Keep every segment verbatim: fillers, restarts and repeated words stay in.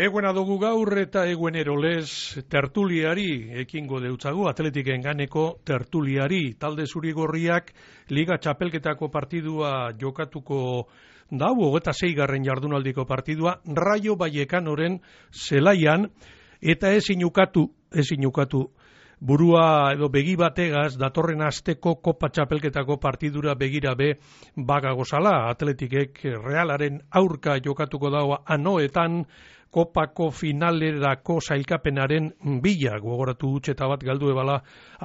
Eguena dugu gaur eta eguenero lez tertuliari ekingo deutzagu, Atletiken ganeko tertuliari. Talde zurigorriak Liga Txapelketako partidua jokatuko dau, hogeita seigarren jardunaldiko partidua, Rayo Vallecanoren zelaian, eta ezin ukatu, ezin ukatu, burua edo begi bategaz datorren asteko Kopa Txapelketako partidura begira be bagagozala. Atletikek Realaren aurka jokatuko daua anoetan, Kopako finalerako sailkapenaren bila, gogoratu utxeta bat galdu ebala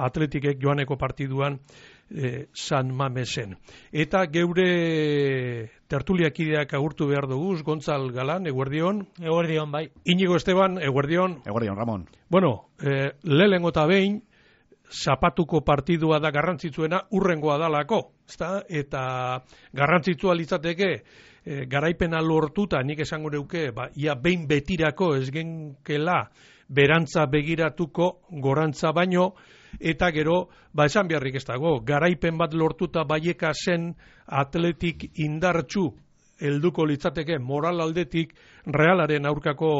Atletikek joaneko partiduan e, San Mamesen. Eta geure tertuliakideak agurtu behar duguz, Gontzal Galan, eguerdion. Eguerdion, bai. Inigo Esteban, eguerdion. Eguerdion, Ramon. Bueno, e, lehengo eta behin, zapatuko partidua da garrantzitsuena urrengoa dalako, ezta? Eta garrantzitsua litzateke, E, garaipena lortuta, nik esango neuke, ba, ia behin betirako ez genkela berantza begiratuko gorantza baino, eta gero, ba esan beharrik ez dago, garaipen bat lortuta Baieka zen Atletik indartsu helduko litzateke moral aldetik Realaren aurkako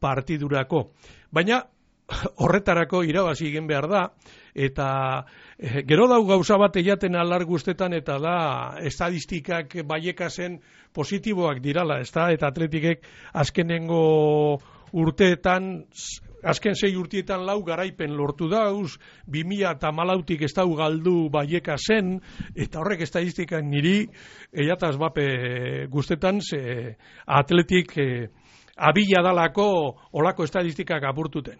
partidurako. Baina horretarako irabazi egin behar da, eta eh, gero dau gauza bat eiaten alar guztetan, eta da estadistikak Baieka zen positiboak dirala, ez da, eta Atletikek azkenengo urteetan, azken sei urtietan lau garaipen lortu dauz, bi mila hamalautik ez dau galdu Baieka zen, eta horrek estadistikak niri eiataz bape guztetan, ze Atletik eh, abila dalako olako estadistikak apurtuten.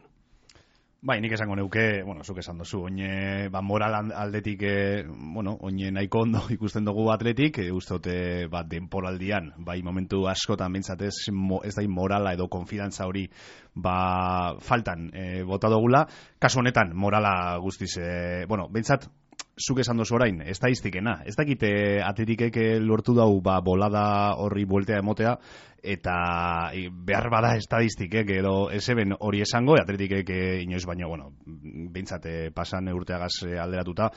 Bai, nik esango neuke, bueno, zuk esan dozu, oine, ba, moral aldetik, e, bueno, oine nahiko ondo ikusten dugu Atletik, e, uste dute, ba, denporaldian, bai, momentu askotan bintzatez, mo, ez da morala edo konfidantza hori, ba, faltan e, bota dugula, kasu honetan, morala guztiz, e, bueno, bintzat, zuk esan dozu orain, estadistikena, ez dakite Atletikek lortu dau, ba, bolada horri bueltea emotea, eta e, behar bada estadistikek edo eseben hori esango, Atletikek e, inoiz baino, bueno, bintzate pasan urteagaz alderatuta,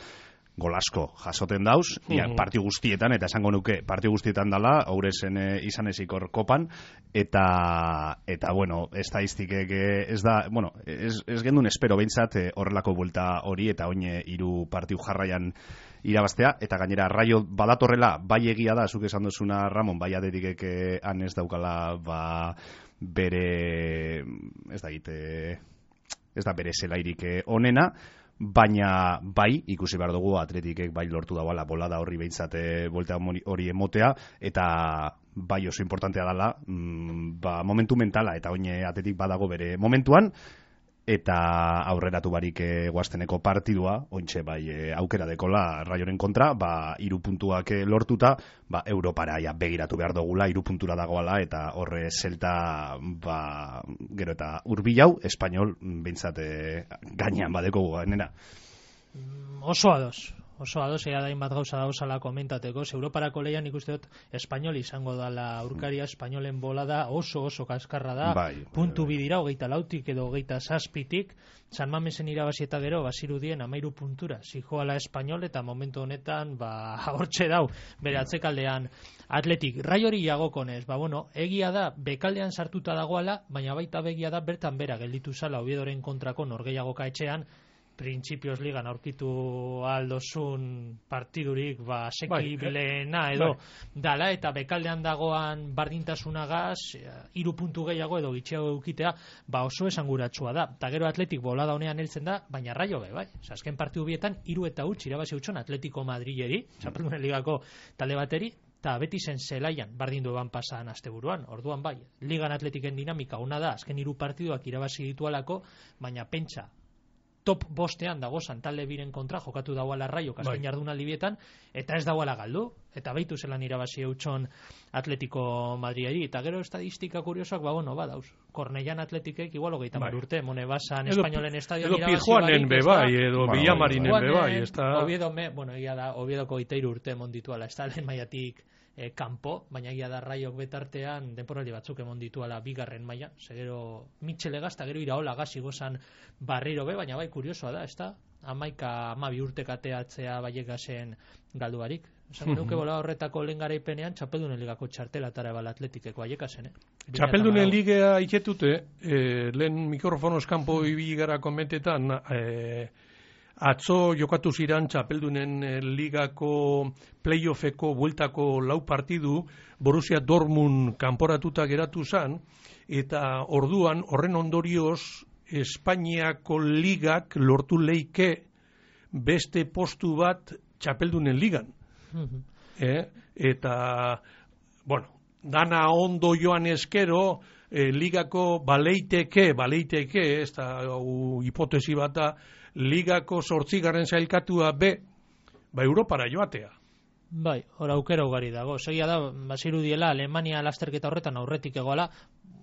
golasko jasoten dauz, uh -huh. parti guztietan, eta esango nuke parti guztietan dala, haurezen e, izan ezikor kopan, eta, eta bueno, estadistikek ez da, bueno, ez, ez gendun espero bintzat e, horrelako buelta hori, eta oine hiru partiu jarraian irabaztea, eta gainera Rayo badatorrela, bai egia da, zuk esan duzuna Ramon, bai Atletikek han ez daukala, ba, bere, ez da egite, ez da bere zelairik onena, baina bai, ikusi behar dugu Atletikek bai lortu dauala bolada horri behintzate voltea hori emotea, eta bai oso importantea dela, mm, ba, momentu mentala, eta oine Atletik badago bere momentuan, eta aurreratu barik e, guazteneko partidua, ointxe bai e, aukera dekola Rayoren kontra, ba, iru puntuak e, lortuta, ba, Europara ja, begiratu behar dugula, iru puntura dagoala, eta horre zelta, ba, gero eta urbilau, Espainol, bintzate gainean badeko guanera. Oso ados. Oso ados, ea dain bat gauza dauzala komentateko, Europarako leian ikuste dut Espainol izango dala aurkaria, Espainolen bolada oso oso kaskarra da, bai, puntu bidira, hogeita lautik edo hogeita zazpitik, San Mamesen irabazi eta gero, bazirudien amairu puntura, zijoala Espainol, eta momentu honetan, ba, hortxe dau, bere atzekaldean Atletik, Rayori jagokonez, ba, bueno, egia da, bekaldean sartuta dagoala, baina baita begia da, bertan bera gelditu zala, Oviedoren kontrako norgehiagoka etxean, printzipioz ligan aurkitu aldozun partidurik ba sekibilena edo bai. dala, eta bekaldean dagoan bardintasunagaz hiru puntu gehiago edo gitxiago eukitea, ba oso esanguratsua da, eta gero Atletik bolada honean heltzen da, baina Rayo be, bai, azken partidu bietan hiru eta huts irabazi utxon Atletico Madrileri, Txapeldunen ligako talde bateri, eta beti zen zelaian bardindu eban pasan asteburuan, orduan bai, ligan Atletiken dinamika ona da, azken hiru partiduak irabazi ditualako, baina pentsa top bostean dago talde biren kontra jokatu dauala Rayo azken bai. jardunaldi bietan, eta ez dauala galdu, eta baitu zelan irabazi eutxon Atletico Madriari, eta gero estadistika kuriosoak, ba bueno, badauz, Kornellan Atletikek igual hogeita mar bai. urte, Monebasan Espainolen estadion edo irabazi Pijuanen bebai, edo Ba, Villamarinen Pijuanen, bebai, ez da... Oviedo me, bueno, egia da, Oviedoko iteiru urte mondituala, ez da lehen maiatik e, kanpo, baina egia da Rayok betartean denporaldi batzuk emon dituala bigarren maila, segero Mitchell egazta, gero Iraola gazi gozan barriro be, baina bai kuriosoa da, ez da, amaika, amabi urte kateatzea Baiekasen galduarik, Esan nuke bola horretako lehen garaipenean Txapeldunen ligako txartelatara bala Atletikeko aiekasen, eh? Txapeldunen ligea iketute, eh, lehen mikrofonos kanpo ibili gara komentetan, eh, atzo jokatu ziran Txapeldunen ligako playoffeko bueltako lau partidu, Borussia Dortmund kanporatuta geratu zan, eta orduan horren ondorioz Espainiako ligak lortu leike beste postu bat Txapeldunen ligan. Uh-huh. eh, eta, bueno, dana ondo joan eskero, eh, ligako baleiteke, baleiteke, ez da hipotesi bat da, ligako zortzigarren zailkatua be, ba Europara joatea. Bai, hor aukera ugari dago. Segia da, bazirudiela, Alemania lasterketa horretan aurretik egoala,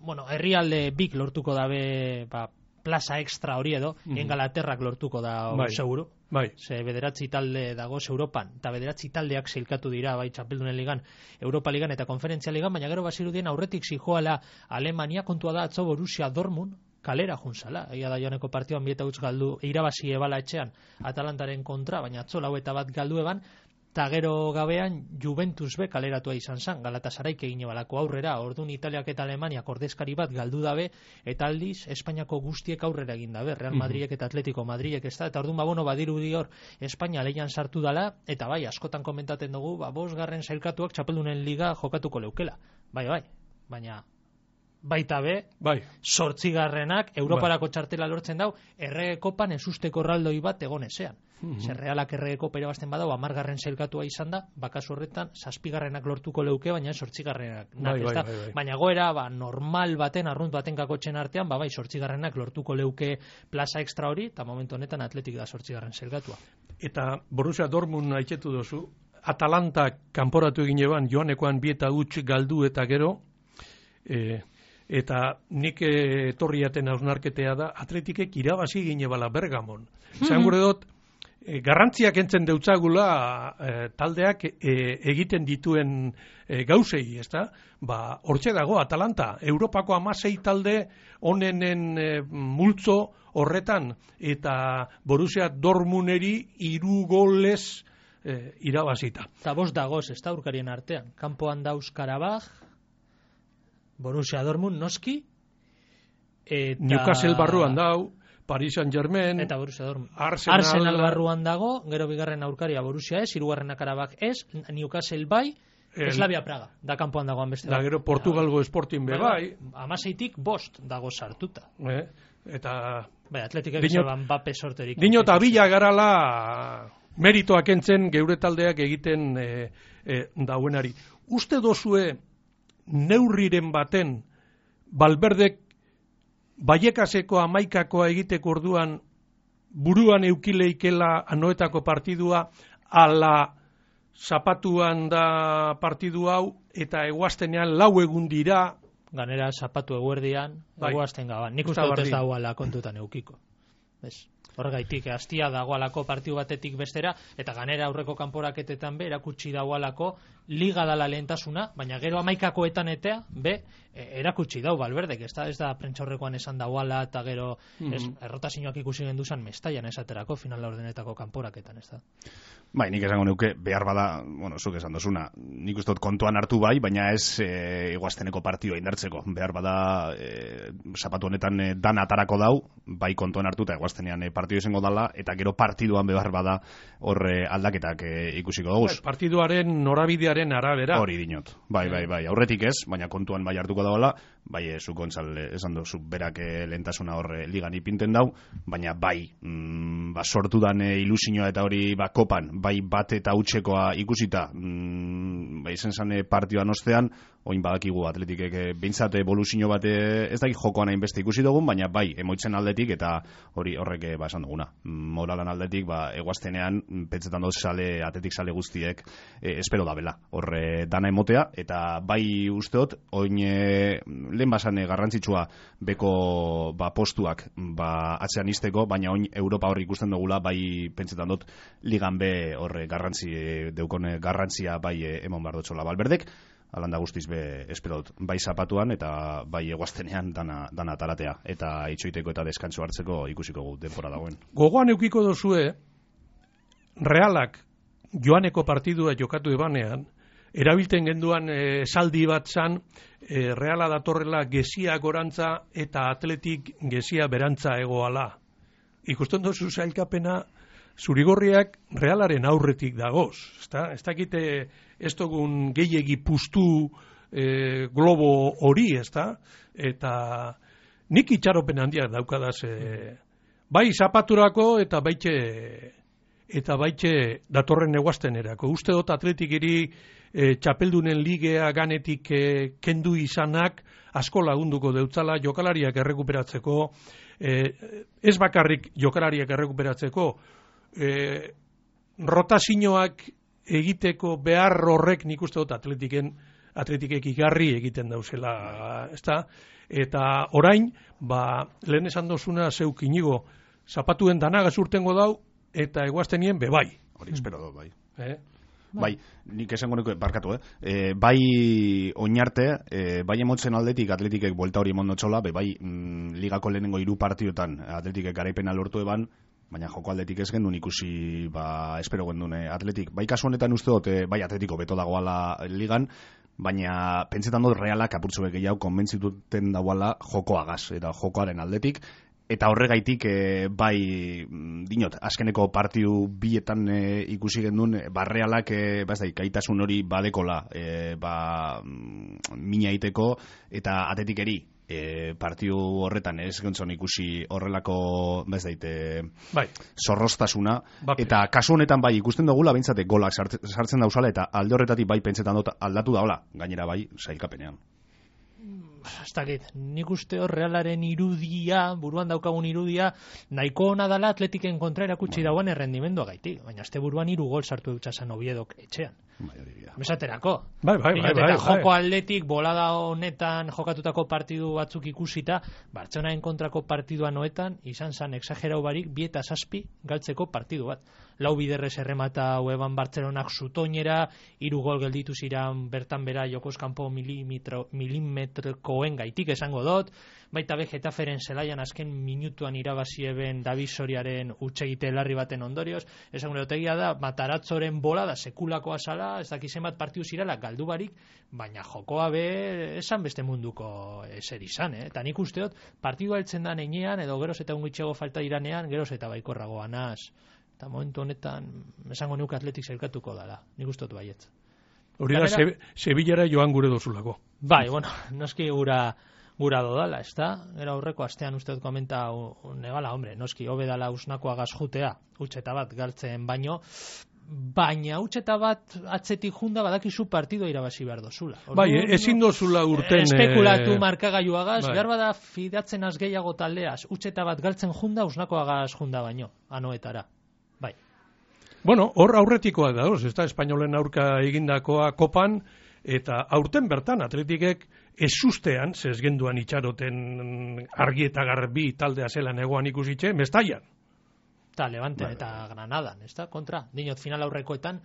bueno, herrialde bik lortuko dabe, ba, plaza extra hori edo, mm. Engalaterrak lortuko da bai. Seguru. Bai. Ze bederatzi talde dagoz Europan, eta bederatzi taldeak zeilkatu dira, bai, Txapeldunen ligan, Europa ligan eta Konferentzia ligan, baina gero bazirudien aurretik zijoala Alemania, kontua da atzo Borussia Dortmund, kalera juntzala. Egia da joaneko partioan bieta utz galdu, irabazi ebala etxean Atalantaren kontra, baina atzo lau eta bat galdu eban, eta gero gabean Juventus be kaleratua izan zan, Galatasaraik egine balako aurrera, orduan Italiak eta Alemaniak ordezkari bat galdu dabe, eta aldiz Espainiako guztiek aurrera egin dabe, Real Madridek eta Atletico Madridek ez da, eta orduan ba, bueno, badiru dior Espainia leian sartu dala, eta bai, askotan komentaten dugu, ba, bosgarren zailkatuak Txapeldunen liga jokatuko leukela, bai, bai, baina baita be, bai. Zortzigarrenak Europarako bai. Txartela lortzen dau, errege kopan ezusteko erraldoi bat egon ezean. Mm-hmm. Zer realak errege kopa irabazten badau, amargarren zailkatua izan da, bakasu horretan, zazpigarrenak lortuko leuke, baina zortzigarrenak. Bai, bai, bai, bai. Baina goera, ba, normal baten, arrunt baten kakotxen artean, ba, bai, zortzigarrenak lortuko leuke plaza extra hori, eta momentu honetan Atletik da zortzigarren zailkatua. Eta Borussia Dortmund haitzetu dozu, Atalanta kanporatu egin eban, joanekoan bieta huts galdu eta gero, eh, eta nik etorriaten hausnarketea da, Atletikek irabazi gine bala Bergamon. Zan gure dut, e, garrantziak entzen deutzagula e, taldeak e, egiten dituen e, gauzei, ezta? Ba, hortxe dago, Atalanta, Europako hamasei talde onenen e, multzo horretan, eta Borussia Dortmunderi hiru golez e, irabazita. Eta bost dagoz, ez da urkarien artean. Kanpoan dauz Karabaj, Borussia Dortmund noski, eta Newcastle barruan dau, Paris Saint-Germain, eta Borussia Dortmund. Arsenal, Arsenal barruan dago, gero bigarren aurkaria Borussia ez, hirugarrena Karabaj ez, Newcastle bai, el, Slavia Praga, da kanpoan dagoan beste. Da gero Portugalgo Sporting be bai. Amaseitik bost dago sartuta. Eh, eta bai, Atletikek esan bape sorterik. Dino eta bila garala meritoak entzen geure taldeak egiten e, e, dauenari. Uste dozue neurriren baten Valverdek Baiekaseko amaikakoa egiteko orduan buruan eukileikela anoetako partidua ala zapatuan da partidu hau eta eguaztenean lau egun dira ganera zapatu eguerdian bai. Eguazten gaban. Nik uste dut ez dagoala kontutan eukiko. Ez? Horregaitik, hastia dagoalako partidu batetik bestera, eta ganera aurreko kanporaketetan be, erakutsi dagoalako liga dala lehentasuna, baina gero amaikakoetan etea, be, erakutsi dau Valverdek, ez da, ez da prentxaurrekoan esan dagoala, eta gero mm-hmm. ez, errotazioak ikusi genduzan mestaian esaterako final laurdenetako kanporaketan, ez da. Bai, nik esango neuke, behar bada, bueno, zuk esan dozuna, nik uste dut kontuan hartu bai, baina ez e, iguazteneko partidua indartzeko, behar bada e, zapatu honetan e, dan atarako dau, bai kontuan hartu eta iguaztenean e, partidu izango dala, eta gero partiduan behar bada horre aldaketak e, ikusiko dugu. Bai, partiduaren norabidearen arabera. Hori dinot, bai, bai, bai, aurretik ez, baina kontuan bai hartuko dagoela, bai, e, zu Gontzal esan dozu, berak e, lehentasuna horre ligan ipinten dau, baina bai, mm, ba, sortu dan e, ilusioa eta hori ba, kopan, bai bat eta utxekoa ikusita, mm, bai zen zane partioan ostean, oin badakigu Atletikek e, behintzat evoluzio bat e, ez daki jokoan hain beste ikusi dugun, baina bai, emoitzen aldetik eta hori horrek e, ba, esan duguna. Moralan aldetik, ba, eguaztenean, pentsetan doz sale, Atletik sale guztiek, e, espero da bela, horre dana emotea, eta bai usteot, oin e, lehen basan garrantzitsua beko ba, postuak ba, atzean izteko, baina oin Europa horri ikusten dugula, bai pentsetan dut ligan be horre garrantzi, deukone garrantzia bai e, emon behar dutxola Valverdek, alanda guztiz be espero dut, bai zapatuan eta bai eguaztenean dana, dana talatea, eta itxoiteko eta deskantzo hartzeko ikusiko gu denpora dagoen. Gogoan eukiko dozue, Realak joaneko partidua jokatu ebanean, erabilten genduan e, saldi bat zan, e, Reala datorrela gezia gorantza eta Atletik gezia berantza egoala. Ikusten dozu zailkapena, zurigorriak Realaren aurretik dagoz. Ez dakite ez dugun gehiegi puztu e, globo hori, ez da? Eta nik itxaropen handiak daukadaz, e, bai zapaturako eta baitxe eta baitxe datorren neguaztenerako. Uste dut Atletikeri e, txapeldunen ligea ganetik e, kendu izanak asko lagunduko deutzala jokalariak errekuperatzeko, e, ez bakarrik jokalariak errekuperatzeko, e, rotazioak egiteko behar horrek nik uste dut Atletiken Atletikek igarri egiten dauzela, ezta? Eta orain, ba, lehen esan dozuna zeuk inigo, zapatuen danagaz urtengo dau, eta eguaztenien bebai. Hori espero dut, bai. Eh? Bai, nik esango nuke, barkatu, eh? E, bai oinarte, e, bai emotzen aldetik Atletikek buelta hori emondo txola, be, bai mm, ligako lehenengo hiru partiotan Atletikek garaipena lortu eban, baina joko aldetik ez gendun ikusi, ba, espero gendun eh, Atletik. Bai kasu honetan uste dut, eh, bai Atletiko beto dagoala ligan, baina pentsetan dut Realak apurtzu gehiago konbentzituten dagoala jokoagaz, eta jokoaren aldetik, eta horregaitik e, bai dinot, azkeneko partiu bietan e, ikusi gendun, ba Realak e, ba ez da, gaitasun hori badekola e, ba mina iteko, eta Atletikeri e, partiu horretan ez gontzon ikusi horrelako ba ez daite bai. zorroztasuna, Bape. eta kasu honetan bai ikusten dugula bintzate golak sartzen dauzala, eta alde horretatik bai pentsetan dut aldatu daula, gainera bai sailkapenean. Ez dakit, nik uste hor Realaren irudia, buruan daukagun irudia, nahiko ona dala Atletiken kontra erakutsi Bueno. dagoen errendimendua gaitik, baina azte buruan hiru gol sartu dutxasan Oviedok etxean. Mesaterako. Bai, bai, bai, Eta bai, joko bai. aldetik, bolada honetan jokatutako partidu batzuk ikusita, Bartzelonaen kontrako partidua noetan, izan zan exagerau barik, bi eta zazpi galtzeko partidu bat. Lau biderrez erremata hueban Bartzelonak zutoinera, hiru gol gelditu ziran bertan bera jokoz kanpo milimetrokoen gaitik esango dut, baita be Getaferen zelaian azken minutuan irabazi eben David Soriaren hutsegite larri baten ondorioz, esan gure otegia da, Mataratzoren bolada sekulakoa zala, ez dakizen bat partiu zirala galdu barik, baina jokoa be esan beste munduko eser izan, eh? Eta nik usteot, partidua heltzen da neinean, edo geroz eta ungitxego falta iranean, geroz eta baikorragoan az. Eta momentu honetan, esango nuke Atletik zelkatuko dala, nik usteot baietz. Hori da, Gainera- Sevillara joan gure dozulako. Bai, bueno, noski gura gura dodala, ez da? Gero aurreko astean uste dut komenta negala, hombre, noski, hobe dala usnakoa gazjutea, utxeta bat galtzen baino, baina utxeta bat atzetik junda badakizu partido irabazi behar dozula. Bai, ezin dozula urten... Espekulatu eh, markagailuagaz, bai. behar bada fidatzen az gehiago taldeaz, utxeta bat galtzen junda, usnakoagaz junda baino, anoetara. Bai. Bueno, hor aurretikoak dauz, ez da, espainolen aurka egindakoa kopan, eta aurten bertan Atletikek ez ustean, zezgenduan itxaroten argi eta garbi taldea zelan egoan ikusitxe, Mestaian. Eta Levanten Bai, eta Granadan, ez da, kontra. Dinot final aurrekoetan,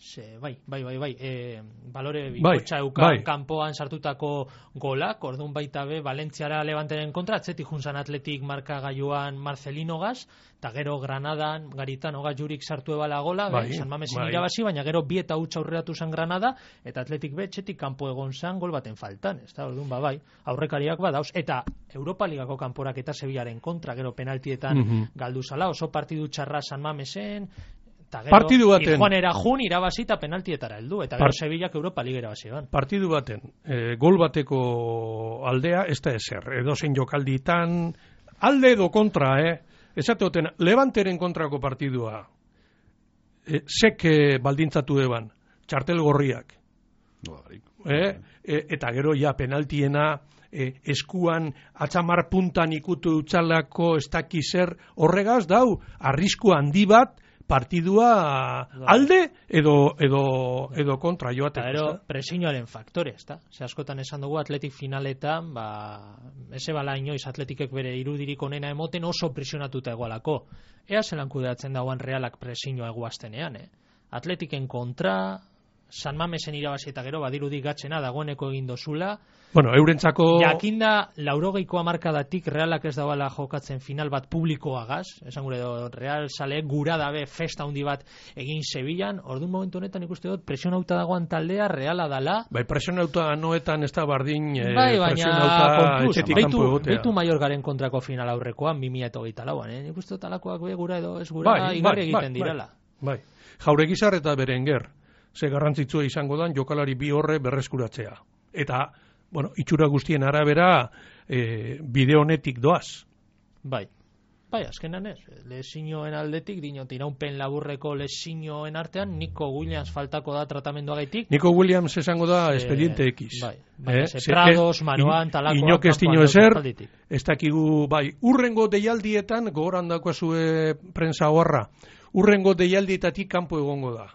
ze, bai, bai, bai, bai, e, balore bikotxa Bai, eukan bai. kanpoan sartutako golak, orduan baita be, Valentziara Levantenen kontra, atzetik junzan Atletik markagailuan Marcelino gaz, eta gero Granadan, Garitano gaz jurik sartu ebala gola, Bai, be, San Mamesen bai. irabazi, baina gero bi eta hutsa aurreratu zan Granada, eta Atletik be, txetik kanpo egon zan gol baten faltan, ez da, orduan, ba, bai, aurrekariak badauz, eta Europa Ligako kanporak eta Sevillaren kontra, gero penaltietan Mhm. galdu zala, oso partidu txarra San Mamesen, eta gero Partidu baten. Tijuanera jun irabazi eta penaltietara heldu, eta gero Part- Sevillak Europa Liga irabazi ban. Partidu baten, e, gol bateko aldea, ez da ezer, edozein jokalditan, alde edo kontra, eh? Esate hoten, Levanteren kontrako partidua, e, sek e, baldintzatu eban, txartel gorriak, eh? E, eta gero ja penaltiena, e, eskuan atxamar puntan ikutu utxalako ez daki zer, horregaz dau, arrisku handi bat, partidua alde edo edo edo kontra Eta joateko. gero ezta? presioaren faktore, ezta? Ze askotan esan dugu Atletik finaletan, ba, eze bala inoiz Atletikek bere irudirik onena emoten oso presionatuta egoalako. Ea zelan kudeatzen dagoan Realak presioa eguaztenean, eh? Atletiken kontra, San Mamesen irabazi eta gero badirudi gatzena dagoeneko egin dozula. Bueno, eurentzako... Jakinda, laurogeiko hamarkadatik Realak ez dabala jokatzen final bat publikoagaz, esan gure do, Real sale gura dabe festa handi bat egin Sevillan, orduan momentu honetan ikuste dut presionauta dagoan taldea Reala dala. Bai, presionauta noetan ez da bardin eh, bai, presionauta etxetik kanpo egotea. Beitu Mallorcaren kontrako final aurrekoan, bi mila hogeita lauan, eh? Ikuste dut alakoak be gura edo ez gura bai, igarri bai, egiten bai, direla. Bai, Jauregizar eta Berenguer, ze garrantzitsua izango dan jokalari bi horre berreskuratzea. Eta bueno, itxura guztien arabera e, bide honetik doaz. Bai, bai, azkenan ez. Lesioen aldetik, dinot, iraunpen laburreko lesioen artean, Nico Williams faltako da tratamenduagaitik. Nico Williams esango da e, expediente X. Bai, bai, eh? Prados, Maroan, talakoa. Inok ez dino ezer, ez dakigu, bai, urrengo deialdietan, gogoran dakoazue prensa horra, urrengo deialdietatik kanpo egongo da.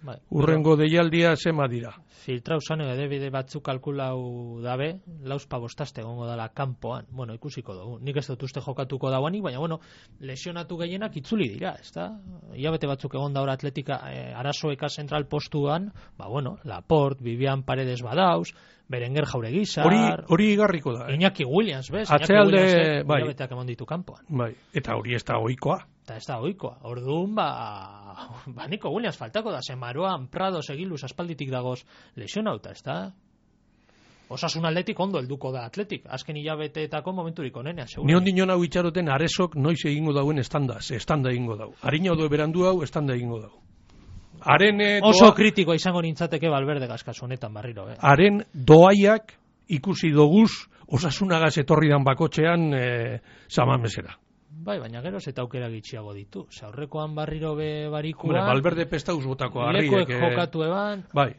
Bai, urrengo deialdia zema dira. Filtrau zanu edebide batzuk kalkulau dabe, lauzpa bostaste egongo dala kanpoan. Bueno, ikusiko dugu. Nik ez dut uste jokatuko dauanik, baina bueno, lesionatu gehienak itzuli dira, ezta? Iabete batzuk egon daura atletika eh, arazoeka zentral postuan, ba bueno, Laporte, Vivian Paredes badauz, Berenguer Jauregizar... Hori, hori igarriko da. Eh? Iñaki Williams, bez? Atzealde, Iñaki Williams, bai. Iabeteak emon ditu kanpoan. Bai, eta hori ez da ohikoa. Eta ez da ohikoa. Orduan, ba, ba Nico Williams faltako da, Maroan, Prados, Egiluz, aspalditik dagoz lesionauta, ez da? Osasun aldetik ondo helduko da atletik. Azken hilabeteetako momenturik onenea, segura. Ni ondinon hau itxaroten aresok noiz egingo dauen estanda, ze estanda egingo dau. Arina odo berandu hau, estanda egingo dau. Haren oso doa... kritikoa izango nintzateke Valverde gaskazu honetan barriro, eh? Haren doaiak ikusi doguz osasunagaz etorri dan bakotxean e, Samamesera. Bai, baina geroz eta aukera gitxiago ditu. Ze aurrekoan barriro be barikuan... Hombre, Valverde pestauz botako harriek... Lekuek jokatu eban... Bai,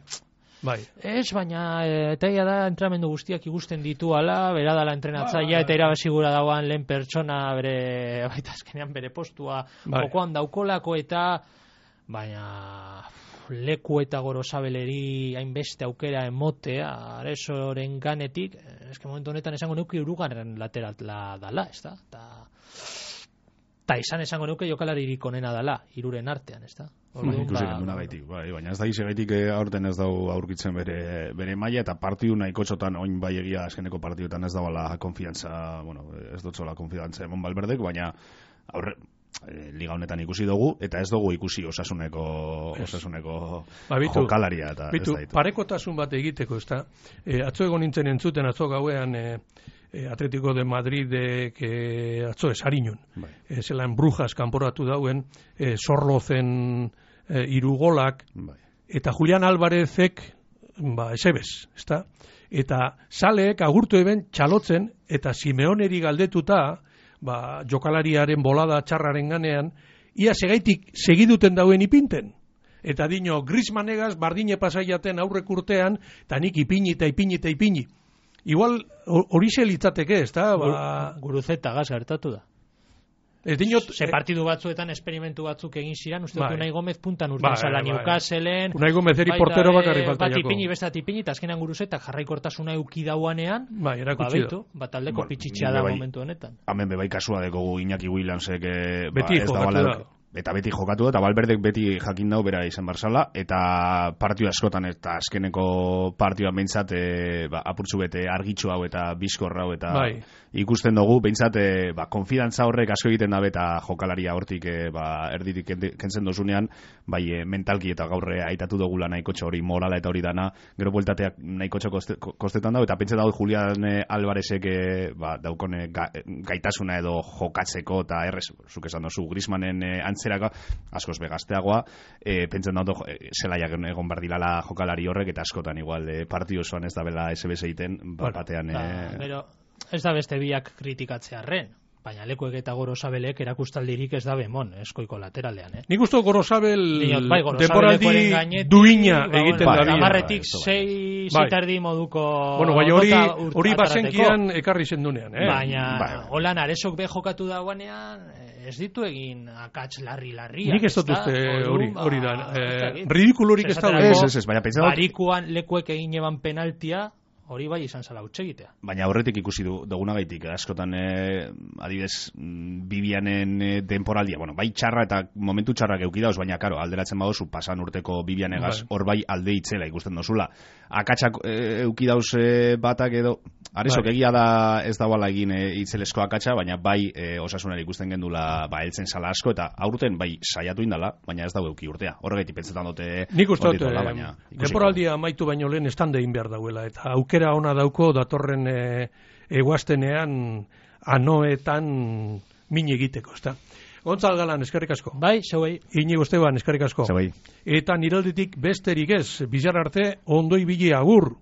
bai. Ez, baina eta ia da entrenamendu guztiak igusten ditu ala, bera dala entrenatzaia eta irabasigura dauan lehen pertsona bere, baita azkenean bere postua bai. jokoan daukolako eta... Baina leku eta gorozabeleri hainbeste aukera emotea aresoren ganetik, eske momentu honetan esango nuke urugarren laterala dala, ez da? Ta, ta izan esango nuke jokalaririk onena dala, hiruren artean, ez da? Ikusi genduna gaitik, bai, baina ez da ize gaitik aurten ez dau aurkitzen bere, bere maila eta partidu nahiko txotan oin bai egia azkeneko partiduetan ez dabala konfiantza, bueno, ez dutzola konfiantza emon Valverdek, baina aurre, E, liga honetan ikusi dugu eta ez dugu ikusi osasuneko osasuneko ba, bitu, jokalaria eta bitu, ez da parekotasun bat egiteko, ez da? E, atzo egon nintzen entzuten, atzo gauean e, e, Atletico de Madridek e, atzo esariñun. Bai. E, zelan Brujas kanporatu dauen, e, Zorlozen e, irugolak, bai. Eta Julian Alvarezek ba, esebez, ez da? Eta saleek agurtu eben txalotzen eta Simeoneri galdetuta ba, jokalariaren bolada txarraren ganean, ia segaitik segiduten dauen ipinten. Eta dino, Griezmannegaz bardine pasaiaten aurrek urtean, eta nik ipini eta ipini eta ipini. Igual hori litzateke, ez da? Ba... Guruzeta gaz gertatu da. Ez dinot... Ze partidu batzuetan esperimentu batzuk egin ziren, uste dut Unai Gomez puntan urten bai, zala bai, Newcastleen... Unai Gomez eri portero bakarri falta jako. Bat ipini, bestat ipini, eta azkenan Guruzetak jarraikortasuna euki dauanean, bai, erakutsi da. Bat aldeko bueno, pitxitxea da bai, momentu honetan. Hemen bebai kasua dekogu Iñaki Williamsek... Beti ba, jokatu da. Eta beti jokatu da, eta Valverdek beti jakin dau bera izan barzala, eta partio askotan, eta azkeneko partioan behintzat, e, ba, apurtzu bete argitxu hau eta bizkor hau, eta bai. Ikusten dugu, behintzat, e, ba, konfidantza horrek asko egiten dabe, eta jokalaria hortik, e, ba, erditik kentzen dozunean, bai, e, mentalki eta gaurre aitatu dugula nahikotxo hori, morala eta hori dana, gero bueltateak nahikotxo koste, kostetan dago, eta pentsa dago Julian Alvarezek, e, ba, daukone ga, gaitasuna edo jokatzeko, eta errez, zuk esan dozu, Griezmannen e, zeraka, askoz begazteagoa, e, pentsen dut e, zelaiak egon bardilala jokalari horrek, eta askotan igual e, partio osoan ez da bela S B S egiten, bat batean... E... Ba, pero ez da beste biak kritikatzearren, baina lekuek eta Gorosabelek erakustaldirik ez da bemon, eskoiko lateralean, eh? Nik usto Gorosabel bai, temporaldi duina ba, egiten bueno, da. Amarretik sei zitardi moduko... Bueno, bai, hori, hori basenkian ekarri zendunean, eh? Baina, bai. Holan aresok be jokatu dauanean, ez ditu egin akats larri-larria. Nik ez dut uste hori, hori da. Eh, ridikulurik ez da. Ez, ez, ez, baina pentsa dut. Barikuan lekuek egin eban penaltia, hori bai izan zala utxegitea. Baina aurretik ikusi du dugunagaitik, askotan e, adibidez Bibianen e, denporaldia, bueno, bai txarra eta momentu txarrak eukidauz, baina karo, alderatzen badozu pasan urteko Bibianegaz, hor bai alde itzela ikusten dozula. Akatsak e, eukidauz e, batak edo, arezok bai. Egia da ez dauala egin e, itzelesko akatsa, baina bai e, Osasunari ikusten gendula ba, eltzen sala asko, eta aurten bai saiatu indala, baina ez dau euki urtea. Horregatik pentsetan dute... Nik uste dut, denporaldia amaitu baino lehen estande egin behar dauela, eta aukera ona dauko datorren e, eguaztenean anoetan min egiteko, ezta? Gontzal Galan, eskerrik asko. Bai, zeuei. Inigo Esteban, eskerrik asko. Zeuei. Eta niralditik besterik ez, bizar arte, ondo ibili agur.